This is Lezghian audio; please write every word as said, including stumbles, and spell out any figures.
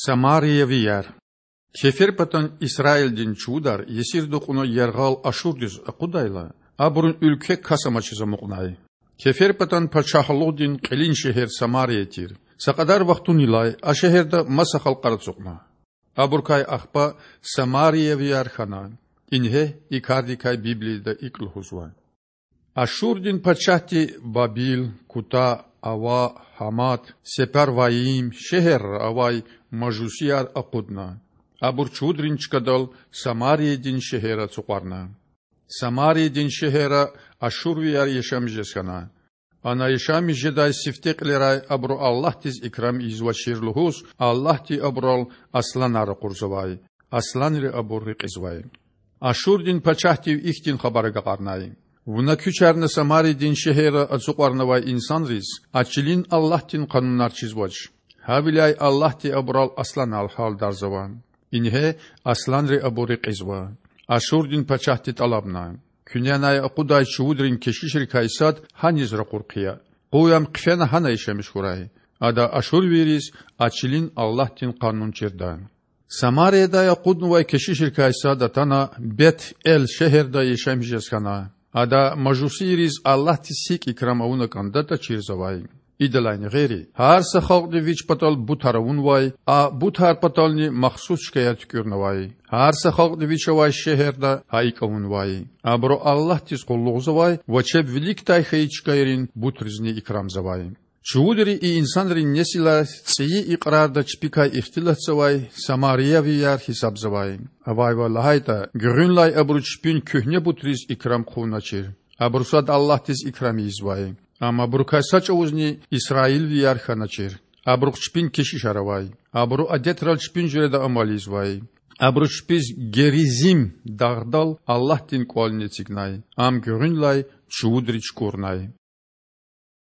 Самариявияр. Кеферпатан Исраилдин чувудар есирда кьуна яргъал Ашурдиз акъудайла, абурун уьлкве кас амачиз амукьнай. Кеферпатан пачагьлугъдин кьилин шегьер Самария тир. Са кьадар вахтунилай а шегьерда маса халкьар ацукьна. Абурукай ахпа самариявияр хьана. Ингье и кардикай Библияда икІ лугьузва: Ашурдин пачагьди Бабил, Кута, Ава, Гьамат, Сепарвайим шегьерра авай мажусияр акъудна. Абур чувудрин чкадал Самариядин шегьер ацукьарна. Самариядин шегьерра ашурвияр яшамиш жез хьана. Ана яшамиш жедай сифте кьилерай абуру Аллагьдиз икрам ийизвачир лугьуз, Аллагьди абурал асланар ракъурзавай. Асланри абур рекьизвай. Ашурдин пачагьдив ихьтин хабар агакьарнай: Вуна куьчарна Самариядин шегьерра ацукьарнавай инсанриз а чилин Аллагьдин къанунар чизвач. Гьавиляй Аллагьди абурал асланар гьалдарзава. Ингье асланри абур рекьизва. Ашурдин пачагьди тІалабна: Куьне анай акъудай чувудрин кешишрикай сад гьаниз ракъур хъия. Къуй ам хъфена гьана яшамиш хьурай. Ада ашурвийриз а чилин Аллагьдин къанун чирда. Самариядай акъуднавай кешишрикай сад атана Бет-Эл шегьерда яшамиш жез хьана. Ада мажусийриз Аллагьдиз гьикІ икрам авуна кІандатІа чирзавай. Идалайни гъейри, гьар са халкьди вич патал бутар авунвай, а бутар патални махсус чкаяр туькІуьрнавай. Гьар са халкьди вич авай шегьерда гьа икІ авунвай. Абуру Аллагьдиз къуллугъзавай ва чеб виликдай хьайи чкайрин бутризни икрамзавай. Чувудри и инсанрин несилар цІийи икьрарда чпикай ихтилатзавай самариявияр гьисабзавай. Авайвал лагьайтІа, гуьгъуьнлай абуру чпин куьгьне бутриз икрам хъувуначир. Абуру сад Аллагьдиз икрам ийизвай. Амма абурукай са чІавузни исраилвияр хьаначир. Абурухъ чпин кешишар авай. Абуру адетрал чпин жуьреда амал ийизвай. Абуру чпиз Геризим дагъдал Аллагьдин кІвални эцигнай. Ам гуьгъуьнлай чувудри чукІурнай.